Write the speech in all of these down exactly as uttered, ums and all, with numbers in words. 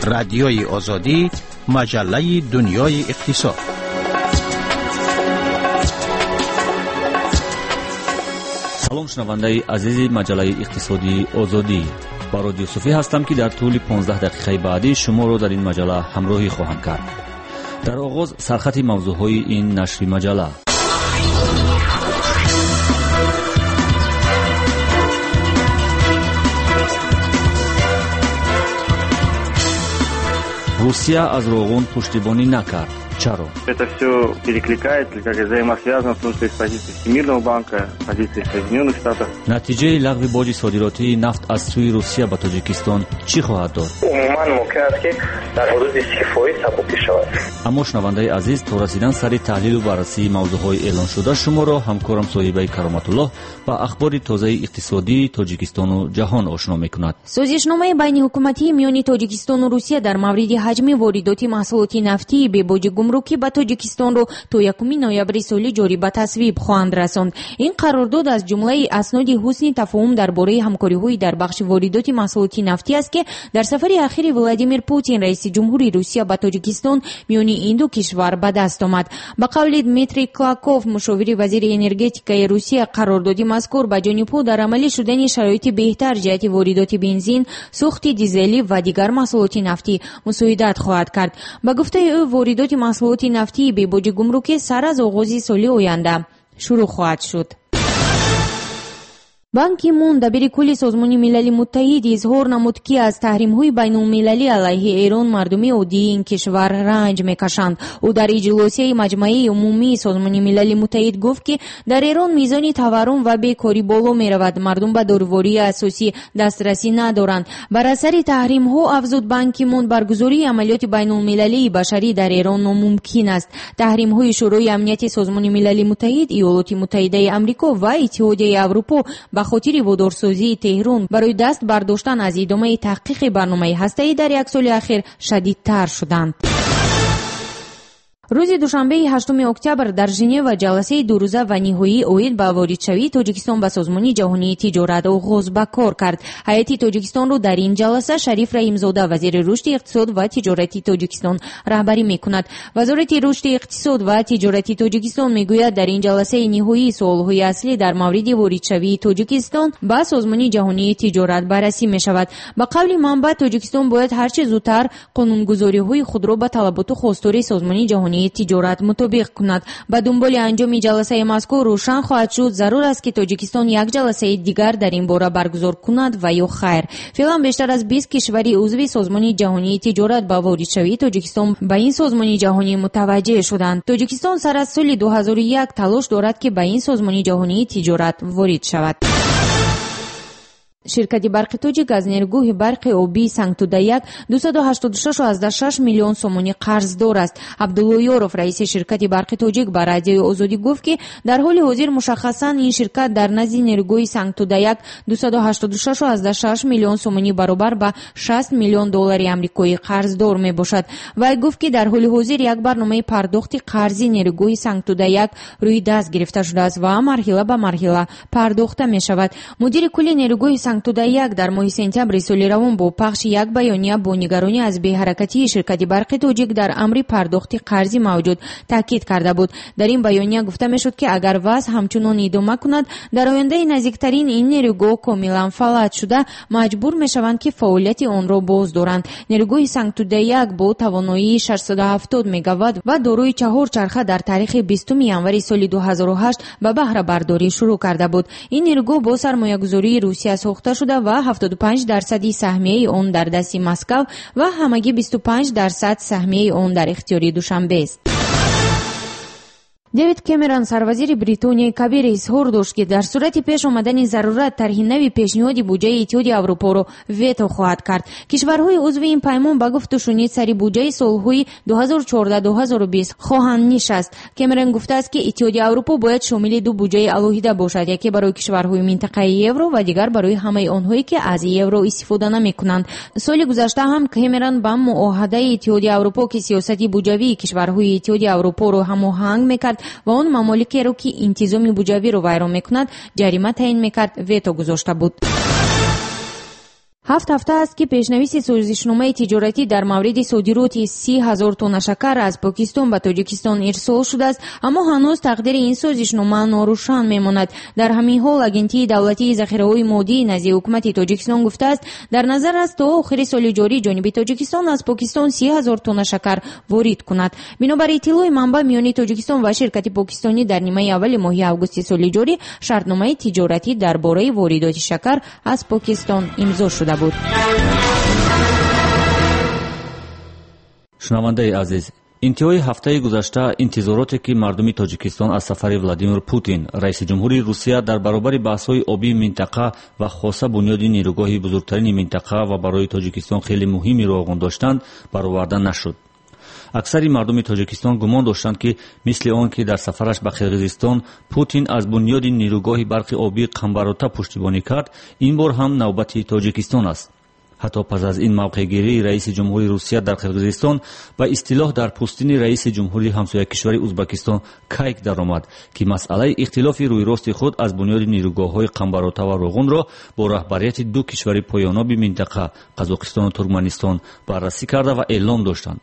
Радиои Озодӣ, маҷаллаи дунёи иқтисод. Салом, шунавандаи азизи маҷаллаи иқтисодии Озодӣ. Барод Юсуфӣ ҳастам, ки дар тӯли понздаҳ дақиқаи баъдӣ шуморо дар ин маҷалла ҳамроҳӣ хоҳам кард. Дар оғоз сархати мавзӯъҳои ин нашри маҷалла. Русия аз Роғун пуштибонӣ накард. Чаро? Это все перекликается, как взаимосвязано, в том числе с позицией Всемирного банка, с позицией Соединенных Штатов. Натиҷаи лағви боҷи содиротии нафт аз сӯи Русия ба Тоҷикистон чӣ хоҳад дод? Умуман мумкин аст, ки дар ҳудуди си фоиз сабукӣ шавад. Аммо, шунавандаи азиз, то расидан сари таҳлилу баррасии мавзӯъҳои эълоншуда шуморо ҳамкорам Соҳибаи Кароматуллоҳ ба ахбори тозаи иқтисодии Тоҷикистону ҷаҳон ошно мекунад. Созишномаи байниҳукуматии миёни Тоҷикистону Русия дар мавриди ҳаҷми воридоти маҳсулоти нафтии бебоҷи гумрукӣ ба Тоҷикистонро то якуми ноябри соли ҷорӣ ба тасвиб хоҳанд расонд. Ин қарордод аз ҷумлаи асноди ҳусни тафоҳум дар бораи ҳамкориҳои дар бахши воридоти маҳсулоти нафтӣ аст, ки дар сафари ахири Владимир Путин, раиси ҷумҳури Русия, ба Тоҷикистон миёни ин ду кишвар ба даст омад. Ба қавли Дмитрий Клаков, мушовири вазири энергетикаи Русия, қарордоди мазкур ба ҷонибҳо дар амалӣ шудани шароити беҳтар ҷиҳати воридоти бензин, сӯхти дизелӣ ва дигар маҳсулоти нафтӣ мусоидат хоҳад кард. Ба гуфтаи ӯ, воридоти маҳсулоти нафтии бебоҷи гумрукӣ сар аз оғози соли оянда шурӯъ хоҳад шуд. Бан Ки Мун, дабири кулли Созмони Милали Муттаҳид, изҳор намуд, ки аз таҳримҳои байнулмилалӣ алайҳи Эрон мардуми оддии ин кишвар ранҷ мекашанд. Ӯ дар иҷлосияи Маҷмаи Умумии Созмони Милали Муттаҳид гуфт, ки дар Эрон мизони таваррум ва бекорӣ боло меравад, мардум ба дорувории асосӣ дастрасӣ надоранд. Бар асари таҳримҳо, афзуд Бан Ки Мун, баргузории амалиёти байнулмилалии башарӣ дар Эрон номумкин аст. Таҳримҳои Шӯрои Амнияти Созмони Милали Муттаҳид, Иёлоти Муттаҳидаи Амрико ва Иттиҳодияи Аврупо ба хотири водорсозии Теҳрон барои даст бардоштан аз идомаи таҳқиқи барномаи ҳастаӣ дар як соли ахир шадидтар шуданд. Рӯзи душанбеи ҳаштуми октябр дар Женева ҷаласаи дурӯза ва ниҳоии оид ба воридшавии Тоҷикистон ба Созмони ҷаҳонии тиҷорат оғоз ба кор кард. Ҳайати Тоҷикистонро дар ин ҷаласа Шариф Раҳимзода, вазири рушди иқтисод ва тиҷорати Тоҷикистон, раҳбарӣ мекунад. Вазорати рушди иқтисод ва тиҷорати Тоҷикистон мегӯяд, дар ин ҷаласаи ниҳоии суолҳои аслӣ дар мавриди воридшавии Тоҷикистон ба Созмони ҷаҳонии тиҷорат баррасӣ мешавад. Ба қавли манбаъ, Тоҷикистон бояд ҳарчи зудтар қонунгузориҳои худро ба талаботу хостори Созмони ҷаҳонии тиҷорат мутобиқ кунад. Ба дунболи анҷоми ҷаласаи мазкур рӯшан хоҳад шуд, зарур аст, ки Тоҷикистон як ҷаласаи дигар дар ин бора баргузор кунад ва ё хайр. Феълан бештар аз бист кишвари узви Созмони ҷаҳонии тиҷорат ба воридшавии Тоҷикистон ба ин созмони ҷаҳонӣ мутаваҷҷеҳ шуданд. Тоҷикистон сар аз соли ду ҳазору як талош дорад, ки ба ин созмони ҷаҳонии тиҷорат ворид шавад. Ширкати барқи Тоҷик аз нерӯгоҳи барқи обии Сангтуда як дусаду ҳаштоду шаш миллион сомонӣ қарздор аст. Абдулло Ёров, раиси ширкати барқи Тоҷик, ба Радиои Озодӣ гуфт, ки дар ҳоли ҳозир мушаххасан ин ширкат дар назди нерӯгоҳи Сангтуда як дусаду ҳаштоду шаш миллион сомонӣ баробар ба шаст миллион доллари амрикоӣ қарздор мебошад. Вай гуфт, ки дар ҳоли ҳозир як барномаи пардохти қарзи нерӯгоҳи Сангтуда як рӯи даст гирифта шудааст ва марҳила ба марҳила пардохта мешавад. Мудири кулли нерӯгоҳи Сангтуда як дар моҳи сентябри соли равон бо пахши як баёния бо нигаронӣ аз беҳаракатии ширкати барқи Тоҷик дар амри пардохти қарзи мавҷуд таъкид карда буд. Дар ин баёния гуфта мешуд, ки агар вазъ ҳамчунон идома кунад, дар ояндаи наздиктарин ин нерӯгоҳ комилан фалаҷ шуда, маҷбур мешаванд, ки фаъолияти онро боз доранд. Нерӯгоҳи Сангтуда як бо тавоноии шашсаду ҳафтод мегаватт ва дорои чаҳор чарха дар таърихи бистуми январи соли ду ҳазору ҳашт ба баҳрабардорӣ шурӯъ карда буд. Ин нерӯгоҳ бо сармоягузории Русия сохта шуда ва ҳафтоду панҷ дарсади саҳмияи он дар дасти Москав ва ҳамагӣ бисту панҷ дарсад саҳмияи он дар ихтиёри Душанбест. Дэвид Кэмерон, сарвазири Бритонияи Кабир, изҳор дошт, ки дар сурати пеш омадани зарурат тарҳи нави пешниҳоди буҷаи Иттиҳоди Аврупоро вето хоҳад кард. Кишварҳои узви ин паймон ба гуфту шунид сари буҷаи солҳои ду ҳазору чордаҳ ду ҳазору бист хоҳанд нишаст. Кэмерон гуфтааст, ки Иттиҳоди Аврупо бояд шомили ду буҷаи алоҳида бошад, яке барои кишварҳои минтақаи евро ва дигар барои ҳамаи онҳое, ки аз евро истифода намекунанд. Соли гузашта ҳам Кэмерон ба муоҳадаи Иттиҳоди Аврупо, ки сиёсати буҷавии кишварҳои Иттиҳоди Аврупоро ҳамоҳанг мекард ва он мамоликеро, ки интизоми буҷавиро вайрон мекунад, ҷарима таъин мекард, вето гузошта буд. Ҳафт ҳафта аст, ки пешнависи созишномаи тиҷоратӣ дар мавриди содироти си ҳазор тонна шакар аз Покистон ба Тоҷикистон ирсол шудааст, аммо ҳанӯз тақдири ин созишнома норӯшан мемонад. Дар ҳамин ҳол Агентии давлатии захираҳои моддии назди ҳукумати Тоҷикистон гуфтааст, дар назар аст то охири соли ҷорӣ ҷониби Тоҷикистон аз Покистон си ҳазор тонна шакар ворид кунад. Бинобар иттилои манбаъ, миёни Тоҷикистон ва ширкати покистонӣ дар нимаи аввали моҳи августи соли ҷорӣ шартномаи тиҷоратӣ дар бораи воридоти шакар аз Покистон имзо шуда буд. Шунавандаи азиз, интиҳои ҳафтаи гузашта интизороте, ки мардуми Тоҷикистон аз сафари Владимир Путин, раиси ҷумҳури Русия, дар баробари баҳсҳои обии минтақа ва хоса бунёди нерӯгоҳи бузургтарини минтақа ва барои Тоҷикистон хеле муҳими Роғун доштанд, бароварда нашуд. Аксари мардуми Тоҷикистон гумон доштанд, ки мисли он ки дар сафараш ба Қирғизистон Путин аз бунёди нерӯгоҳи барқи обии Қамбарота пуштибонӣ кард, ин бор ҳам навбати Тоҷикистон аст. Ҳатто пас аз ин мавқеъгирии раиси ҷумҳури Русия дар Қирғизистон ба истилоҳ дар пӯстини раиси ҷумҳури ҳамсоякишвари Узбакистон кайк даромад, ки масъалаи ихтилофи рӯйрости худ аз бунёди нерӯгоҳҳои Қамбарота ва Роғунро бо раҳбарияти ду кишвари поёноби минтақа Қазоқистону Туркманистон баррасӣ карда ва эълон доштанд.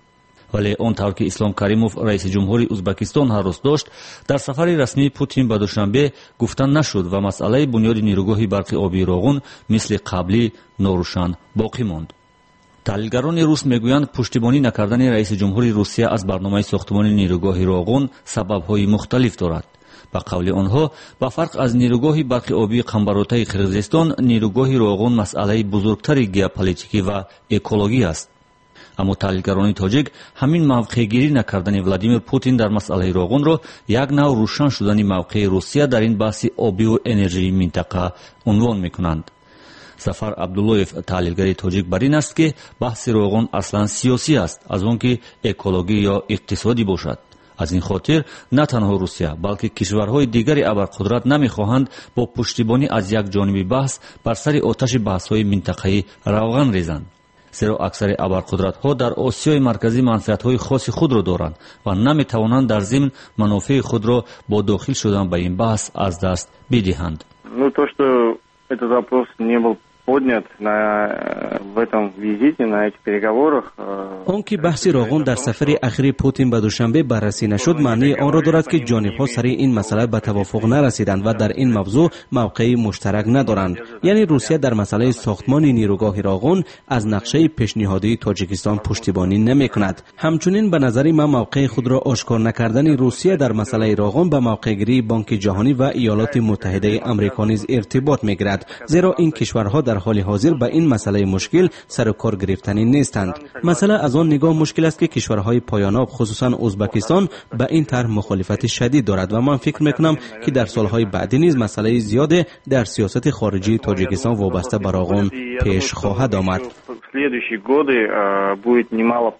Вале он тавр ки Ислом Каримов, раиси ҷумҳури Узбакистон, ҳаррӯз дошт, дар сафари расмии Путин ба Душанбе гуфта нашуд ва масъалаи бунёди нерӯгоҳи барқи обии Роғун мисли қаблӣ норӯшан боқӣ монд. Таҳлилгарони рус мегӯянд, пуштибонӣ накардани раиси ҷумҳури Русия аз барномаи сохтмони нерӯгоҳи Роғун сабабҳои мухталиф дорад. Ба қавли онҳо, ба фарқ аз нерӯгоҳи барқи обии Қамбаротаи Қирғизистон, нерӯгоҳи Роғун масъалаи бузургтари геополитикӣ ва экологӣ аст. Аммо таҳлилгарони тоҷик ҳамин мавқеъгирӣ накардани Владимир Путин дар масъалаи Роғунро як нав рӯшан шудани мавқеи Русия дар ин баҳси обиву энержии минтақа унвон мекунанд. Зафар Абдуллоев, таҳлилгари тоҷик, бар ин аст, ки баҳси Роғун аслан сиёсӣ аст, аз он ки экологӣ ё иқтисодӣ бошад. Аз ин хотир на танҳо Русия, балки кишварҳои дигари абарқудрат намехоҳанд бо пуштибонӣ аз як ҷониби баҳс бар сари оташи баҳсҳои минтақаӣ равған резанд. Зеро аксари абарқудратҳо дар Осиёи Марказӣ манфиатҳои хоси худро доранд ва наметавонанд дар зимн манофеи худро бо дохил шудан ба ин баҳс аз даст бидиҳанд. Ну, то, что этот вопрос не был поднят на, в этом визите, на этих переговорах. Он ки баҳси Роғун дар сафари ахири Путин ба Душанбе баррасӣ нашуд, маънии онро дорад, ки ҷонибҳо сари ин масъала ба тавофуқ нарасиданд ва дар ин мавзӯъ мавқеи муштарак надоранд. Яъне Русия дар масъалаи сохтмони нерӯгоҳи Роғун аз нақшаи пешниҳодии Тоҷикистон пуштибонӣ намекунад. Ҳамчунин ба назари ман мавқеи худро ошкор накардани Русия дар масъалаи Роғун ба мавқеъгирии Бонки Ҷаҳонӣ ва Иёлоти Муттаҳидаи Амрико низ иртибот мегирад, зеро ин кишварҳо дар ҳоли ҳозир ба ин масъалаи мушкил сару кор гирифтанӣ нестанд. Масъала аз он нигоҳ мушкил аст, ки кишварҳои поёноб, хусусан Узбакистон, ба ин тарҳ мухолифати шадид дорад ва ман фикр мекунам, ки дар солҳои баъдӣ низ масъалаи зиёде дар сиёсати хориҷии Тоҷикистон вобаста ба Роғун пеш хоҳад омад. В следующие годы будет немало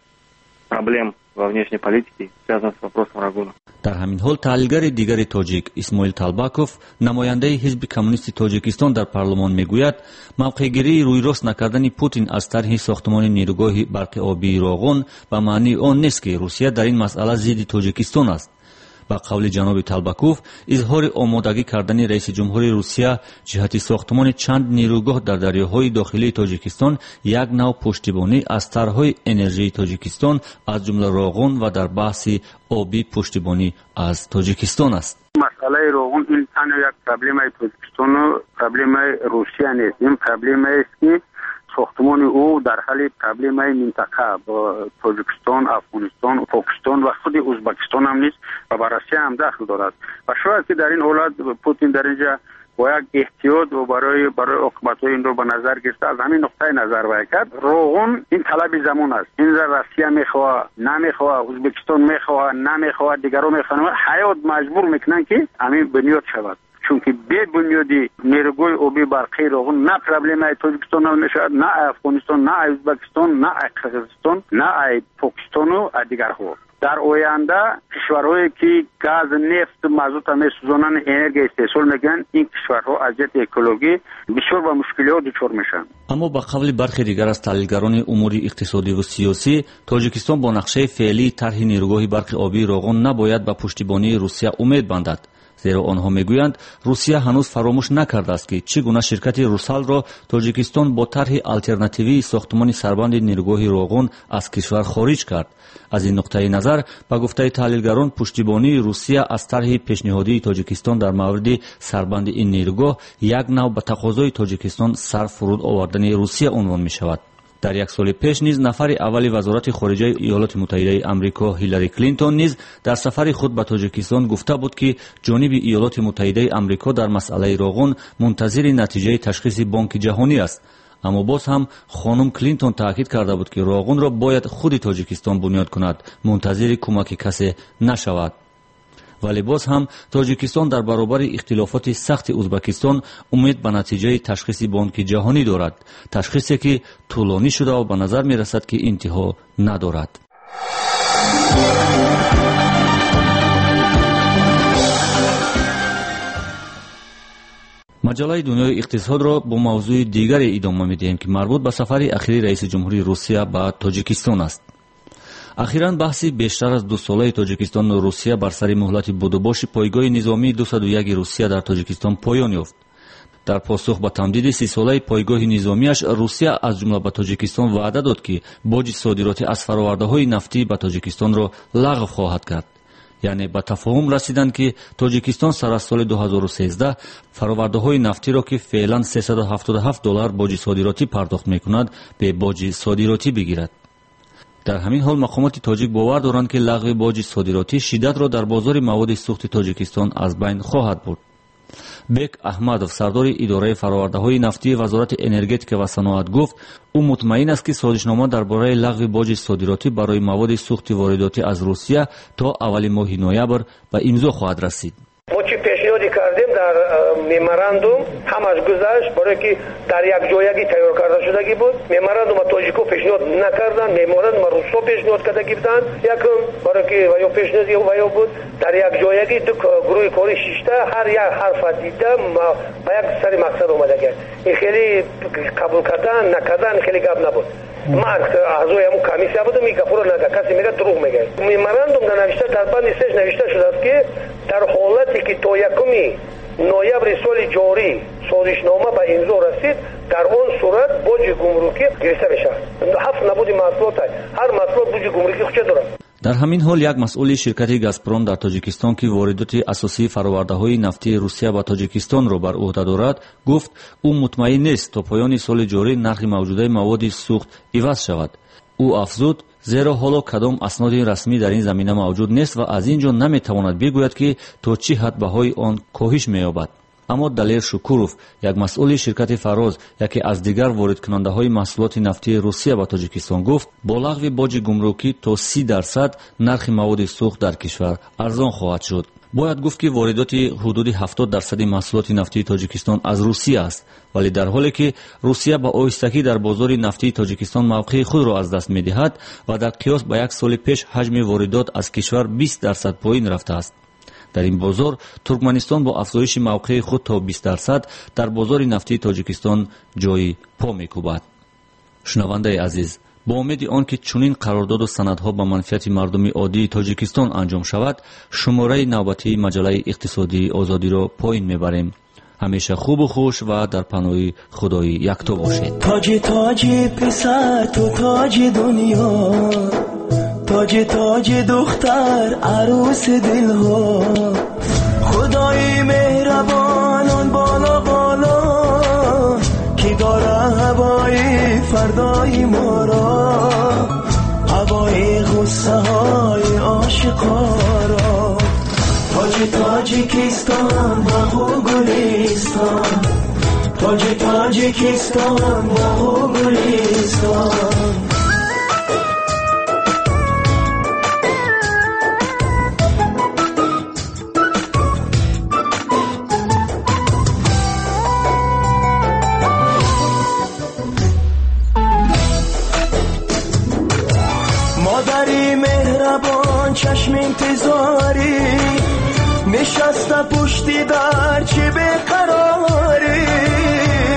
проблем во внешней политике, связанных с вопросом Рогуна. Дар ҳамин ҳол таҳлилгари дигари тоҷик Исмоил Талбаков, намояндаи ҳизби коммунисти Тоҷикистон дар парлумон, мегӯяд, мавқеъгирии рӯйрост накардани Путин аз тарҳи сохтмони нерӯгоҳи барқи обии Роғун ба маънии он нест, ки Русия дар ин масъала зидди Тоҷикистон аст. Ба қавли ҷаноби Талбаков, изҳори омодагӣ кардани раиси ҷумҳури Русия ҷиҳати сохтмони чанд нерӯгоҳ дар дарёҳои дохилии Тоҷикистон як нав пуштибонӣ аз тарҳҳои энержии Тоҷикистон, аз ҷумла Роғун, ва дар баҳси обӣ пуштибонӣ аз Тоҷикистон аст. Масъалаи Роғун ин танҳо як проблемаи Тоҷикистону проблемаи Русия нест. Ин проблемаест, ки сохтмони ӯ дар ҳалли проблемаи минтақа бо Тоҷикистон, Афғонистон, Покистон ва худи Узбакистон ҳам низ ва ба Россия ҳам дахл дорад. Ва шояд ки дар ин ҳолат Путин дар инҷа бо як эҳтиёт ва барои барои оқибатҳои инро ба назар гирифта аз ҳамин нуқтаи назар вай кард. Роғун ин талаби замон аст. Инро Россия мехоҳад, намехоҳад, Узбекистон мехоҳад, намехоҳад, дигарон мехоҳанд. Ҳаёт маҷбур мекунанд, ки ҳамин бунёд шавад. Чунки бе бунёди нерӯгоҳи обии барқии Роғун на проблемаи Тоҷикистон ҳал мешавад, на Афғонистон, на Узбекистон, на Қирғизистон, на Покистону дигарҳо. Дар оянда кишварҳое ки газ, нефт, мазута месӯзонанд, энергия истеҳсол мекунанд, ин кишварҳо аз ҷиҳати экологӣ бисёр ба мушкилиҳо дучор мешаванд. Аммо ба қавли бархе дигар аз таҳлилгарони умури иқтисодиву сиёсӣ, Тоҷикистон бо нақшаи феълии тарҳи нерӯгоҳи барқи обии Роғун набояд ба пуштибонии Русия умед бандад. Зеро онҳо мегӯянд, Русия ҳанӯз фаромӯш накардааст, ки чӣ гуна ширкати Русалро Тоҷикистон бо тарҳи алтернативии сохтмони сарбанди нерӯгоҳи Роғун аз кишвар хориҷ кард. Аз ин нуқтаи назар, ба гуфтаи таҳлилгарон, пуштибонии Русия аз тарҳи пешниҳодии Тоҷикистон дар мавриди сарбанди ин нерӯгоҳ як нав ба тақозои Тоҷикистон сар фуруд овардани Русия унвон мешавад. Дар як соли пеш низ нафари аввали вазорати хориҷаи Иёлоти Муттаҳидаи Амрико Ҳиллари Клинтон низ дар сафари худ ба Тоҷикистон гуфта буд, ки ҷониби Иёлоти Муттаҳидаи Амрико дар масъалаи Роғун мунтазири натиҷаи ташхиси Бонки Ҷаҳонӣ аст. Аммо боз ҳам хонум Клинтон таъкид карда буд, ки Роғунро бояд худи Тоҷикистон бунёд кунад, мунтазири кӯмаки касе нашавад. Вале боз ҳам Тоҷикистон дар баробари ихтилофоти сахти Ӯзбекистон умед ба натиҷаи ташхиси Бонки Ҷаҳонӣ дорад, ташхисе ки тӯлонӣ шуда ва ба назар мерасад, ки интиҳо надорад. Маҷаллаи дунёи иқтисодро бо мавзӯи дигаре идома медиҳем, ки марбут ба сафари ахири раиси ҷумҳурии Русия ба Тоҷикистон аст. Ахиран баҳси бештар аз дусолаи Тоҷикистону Русия бар сари муҳлати будубоши пойгоҳи низомии дусаду яки Русия дар Тоҷикистон поён ёфт. Дар посух ба тамдиди сисолаи пойгоҳи низомиаш, Русия аз ҷумла ба Тоҷикистон ваъда дод, ки боҷи содиротӣ аз фаровардаҳои нафтӣ ба Тоҷикистонро лағв хоҳад кард. Яъне ба тафоҳум расиданд, ки Тоҷикистон сар аз соли ду ҳазору сездаҳ фаровардаҳои нафтиро, ки феълан сесаду ҳафтоду ҳафт доллар боҷи содиротӣ пардохт мекунад, бе боҷи содиротӣ бигирад. Дар ҳамин ҳол мақомоти тоҷик бовар доранд, ки лағви боҷи содиротӣ шиддатро дар бозори маводи сӯхти Тоҷикистон аз байн хоҳад бурд. Бек Аҳмадов, сардори идораи фаровардаҳои нафтии Вазорати энергетика ва саноат, гуфт, ӯ мутмаин аст, ки созишнома дар бораи лағви боҷи содиротӣ барои маводи сӯхти воридотӣ аз Русия то аввали моҳи ноябр ба имзо хоҳад расид. Мо чӣ пешниҳоде кардем дар меморандум, ҳамаш гузашт, барое ки дар якҷоягӣ тайёр карда шудагӣ буд. Меморандума тоҷико пешниҳод накарданд, меморандума русҳо пешниҳод кардагӣ буданд. Якум, барое ки ва ё пешниҳоди ва ё буд, дар якҷоягӣ ду гурӯҳи корӣ шишта, ҳар як ҳарфа дида ба як сари мақсад омадагӣ. Ин хеле қабул кардан накардан хеле гап набуд. Ман аъзои ҳамун комиссия будам, ин гапҳоро нага, касе мегӯяд дурӯғ мегӯяд. Меморандум дар навишта, дар банди сеш навишта шудааст, ки дар ҳолате ки то якуми ноябри соли ҷорӣ созишнома ба имзо расид, дар он сурат боҷи гумрукӣ гирифта мешавад. Ҳафт набуди маҳсулот, ҳар маҳсулот боҷи гумрукӣ худша дорад. Дар ҳамин ҳол як масъули ширкати Газпром дар Тоҷикистон, ки воридоти асосии фаровардаҳои нафтии Русия ба Тоҷикистонро бар ӯҳда дорад, гуфт, ӯ мутмаин нест то поёни соли ҷорӣ нархи мавҷудаи маводи сӯхт иваз шавад. Ӯ афзуд, зеро ҳоло кадом асноди расмӣ дар ин замина мавҷуд нест ва аз ин ҷо наметавонад бигӯяд, ки то чӣ ҳад баҳои он коҳиш меёбад. Аммо Далер Шукуров, як масъули ширкати Фароз, яке аз дигар воридкунандаҳои маҳсулоти нафтии Русия ба Тоҷикистон, гуфт, бо лағви боҷи гумрукӣ то си дарсад нархи маводи сӯхт дар кишвар арзон хоҳад шуд. Бояд гуфт, ки воридоти ҳудуди ҳафтод дарсади маҳсулоти нафтии Тоҷикистон аз Русия аст, вале дар ҳоле ки Русия ба оҳистагӣ дар бозори нафтии Тоҷикистон мавқеи худро аз даст медиҳад ва дар қиёс ба як соли пеш ҳаҷми воридот аз кишвар бист дарсад поин рафтааст. Дар ин бозор Туркманистон бо афзоиши мавқеи худ то бист дарсад дар бозори нафтии Тоҷикистон ҷои по мекӯбад. Шунавандаи азиз, бо умеди он ки чунин қарордоду санадҳо ба манфиати мардуми оддии Тоҷикистон анҷом шавад, шумораи навбатии маҷаллаи иқтисодии Озодиро поин мебарем. Ҳамеша хубу хуш ва дар паноҳи Худои якто бошед. Тоҷи тоҷи писар, ту тоҷи дунё, тоҷи тоҷи духтар, арӯси дилҳо. Худои меҳрабон он боло боло, ки дора ҳавои фардои моро, ҳавои ғуссаҳои ошиқоро. Тоҷи Тоҷикистон боғу гулистон, тоҷи Тоҷикистон боғу гулистон. Модари меҳрабон чашм интизорӣ, нишаста пушти дар чӣ беқарорӣ.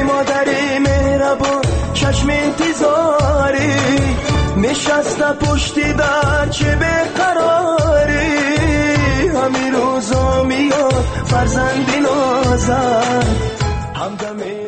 Модари меҳрабон чашм интизорӣ, нишаста пушти дар чӣ беқарорӣ. Ҳамин рӯзо меояд. Фарзанди нозат, ҳамдами.